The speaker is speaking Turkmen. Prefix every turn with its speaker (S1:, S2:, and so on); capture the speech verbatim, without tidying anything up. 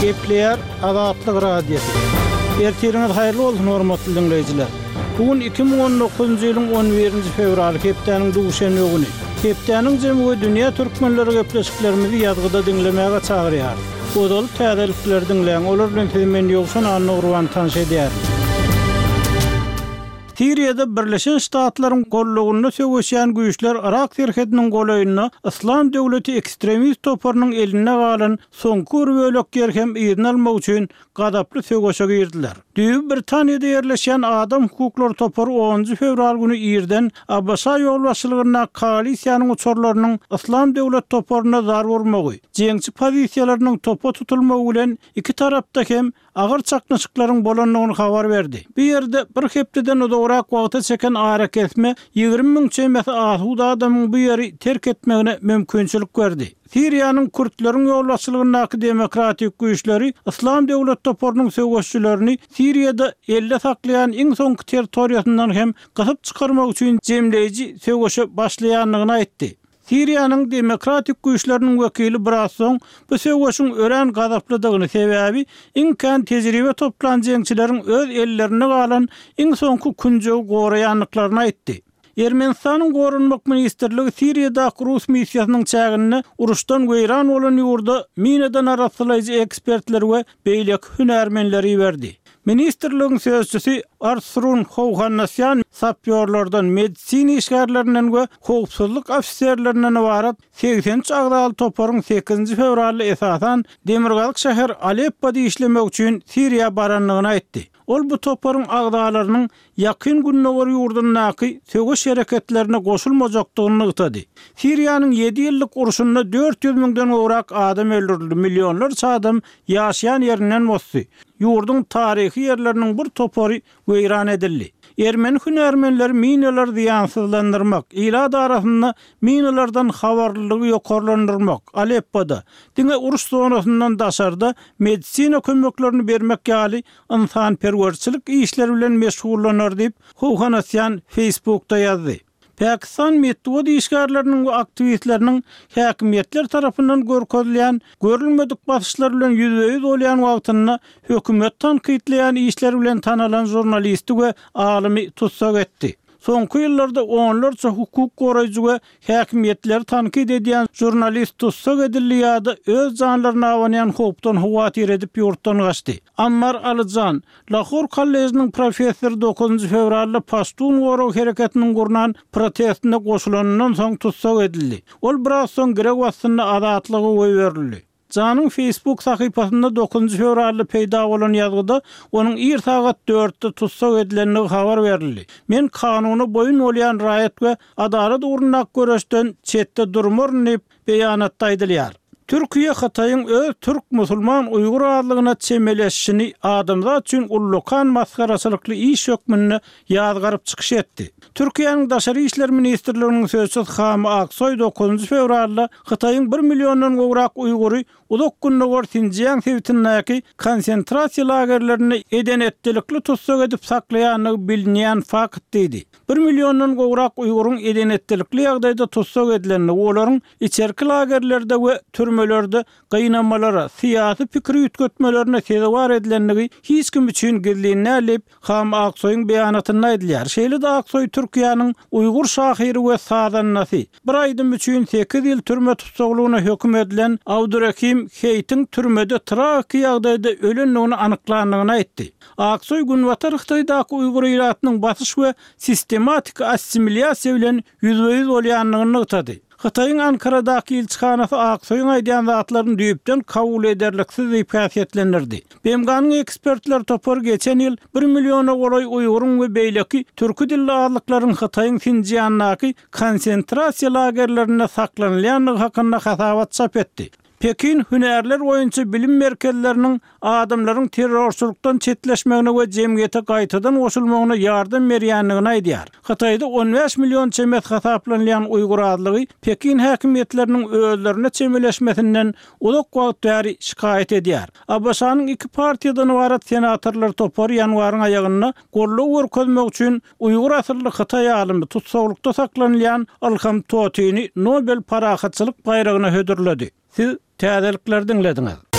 S1: Gepleýär Azatlyk Radiosy. Ertiriňiz haýyrly bolsun hormatly diňleýjiler. Bu gün iki müň on dokuzynjy ýylyň on birinji fewraly hepdäniň duşenbe güni. Hepdäniň jemi we dünýä türkmenleri gepleşiklerimizi ýazgyda diňlemäge çagyrýar. Ozaly täzelikleri diňläň, olar bilen sizi men Ýowşan Annagurban tanyş edýärin. Siriýada Birleşen Ştatlaryň gollugynda söweşýän güýçler Irak serhediniň golaýynda Yslam döwleti ekstremist toparynyň elinde galan soňky bir bölek ýer hem yzyny almak üçin gazaply söweşe girdiler. Düýbi Britaniýada ýerleşýän adam hukuklary topary onunjy fewral güni irden ABŞ ýolbaşçylygynda koalisiýanyň uçarlarynyň Yslam döwlet toparyna zar urmagy, jeňçi pozisiýalarynyň topa tutulmagy bilen iki tarapda hem agyr çaknyşyklaryň bolandygyny habar berdi. Bu ýerde bir hepdeden uzagrak wagta çeken ara kesme ýigrimi müň çemesi asuda adamyň bu ýeri terk etmegine mümkinçilik berdi. Siriýanyň Kürtleriň ýolbaşçylygyndaky demokratik güýçleri Yslam döwlet toparynyň söweşçilerini Siriýada elde saklaýan iň soňky territoriýasyndan hem gysyp çykarmak üçin jemleýji söweşe başlaýandygyny aýtdy. Siriýanyň demokratik güýçleriniň wekili biraz soň bu söweşiň örän gazaplydygyny sebäbi iň kän tejribe toplan jeňçileriň öz ellerinde galan iň soňky künjegi goraýandyklaryny aýtdy. Ermenistanyň Goranmak Ministrligi Siriýadaky Rus missiýasynyň çäginde uruşdan weýran bolan ýurda minadan arasylaýjy ekspertler we beýleki hünärmenleri berdi. Ministrligiň sözçüsi Artsrun Howhanasyan sapýorlardan, medisina işgärlerinden we howpsuzlyk ofiserlerinden ybarat seksen üç agzaly toparyň sekizinji fewralda esasan Demirgazyk şäher Aleppoda işlemek üçin Siriýa barandygyny aýtdy. Ol bu toparyň agzalarynyň ýakyn gündogar ýurdundaky söweş hereketlerine goşulmajakdygyny nygtady. Siriýanyň ýedi ýyllyk urşunda dört ýüz müňden gowrak adam öldürildi, millionlarça adam ýaşaýan ýerinden bosdy. Ýurduň taryhy ýerleriniň bir topary weýran edildi. Ermeni hünärmenleri minalar zyýansyzlandyrmak, ilat arasynda minalardan habarlylygy ýokarlandyrmak, Aleppoda diňe uruş zonasyndan daşarda medisina kömeklerini bermek ýaly ynsanperwerçilik işleri bilen meşgullanar diýip Howhanasyan Facebookda ýazdy. Pakistan metbugat işgärleriniň we aktiwistleriniň häkimiýetler tarapyndan görkezilýän görülmedik basyşlar bilen ýüzbe-ýüz bolýan wagtynda hökümet tankytlaýan işler bilen tanalan žurnalisti we alymy tutsak etdi. Soňky ýyllarda onlarça hukuk goraýjy we häkimiýetleri tankyt edýän žurnalist tutsak edildi ýa-da öz janlaryna abanýan howpdan howatyr edip ýurtdan gaçdy. Ammar Alyjan, Lahor kollejiniň professory dokuzynjy fewralda Paştun gorag hereketiniň gurnan protestine goşulanyndan soň tutsak edildi. Ol biraz soň girew astynda azatlyga goýberildi. Janyň Facebook sahypasynda dokuzynjy fewralda peýda bolan ýazgyda onuň ir sagat dörtde tutsak edilendigi habar berildi. Men kanuna boýun bolýan raýat we adalat ugrundaky göreşden çetde durmaryn diýip beýanatda aýdylýar. Türkiýe Hytaýyň öz türk musulman Uýgur azlygyna çemeleşişini adamzat üçin ullukan masgaraçylykly iş hökmünde ýazgaryp çykyş etdi. Türkiýäniň Daşary işler ministrliginiň sözçüsi Hami Aksoý dokuzynjy fewralda Hytaýyň bir milliondan gowrak Uýgury uzak gündogar Sinjiang sebitindäki konsentrasiýa lagerlerinde edenetlilikli tutsak edip saklaýandygy bilinýän fakt diýdi. Bir milliondan gowrak Uýguryň edenetlilikli ýagdaýda tutsak edilendigi, olaryň içerki lagerlerde we türmelerde gynamalara, syýasy pikir üýtgetmelerine sezewar edilendigi hiç kim üçin gizlin däl diýip Hami Aksoýyň beýanatynda aýdylýar. Şeýle-de Aksoý Türkiýäniň Uýgur şahyry we sazandasy bir aýdym üçin sekiz ýyl türme tutsaglygyna höküm edilen Abdurrahim Heýtiň türmede tragiki ýagdaýda ölendigini anyklandygyny aýtdy. Aksoý Günbatar Hytaýdaky Uýgur ilatynyň basyş we sistematik assimilýasiýa bilen ýüzbe-ýüz bolýandygyny nygtady. Hytaýyň Ankaradaky ilçihanasy Aksoýyň aýdýan zatlaryny düýpden kabul ederliksiz diýip häsiýetlendirdi. B M G-nyň ekspertler topary geçen ýyl bir milliona golaý Uýguryň we beýleki türki dilli azlyklaryň Hytaýyň Sinjiandaky konsentrasiýa lagerlerinde saklanylýandygy hakynda hasabat çap etdi. Pekin hünärler boýunça bilim merkezleriniň adamlaryň terrorçylykdan çetleşmegine we jemgyýete gaýtadan goşulmagyna ýardam berýändigini aýdýar. Hytaýda on bäş million çemes hasaplanylýan Uýgur azlygy Pekin häkimiýetleriniň özlerine çemeleşmesinden uzak wagt bäri şikaýat edýär. A B Ş-nyň iki partiýadan ybarat senatorlar topary ýanwaryň aýagynda goldaw görkezmek üçin Uýgur asylly Hytaý alymy tutsaglykda saklanylýan Ilham Tohtyny Nobel parahatçylyk baýragyna hödürledi. Siz täzelikleri diňlediňiz.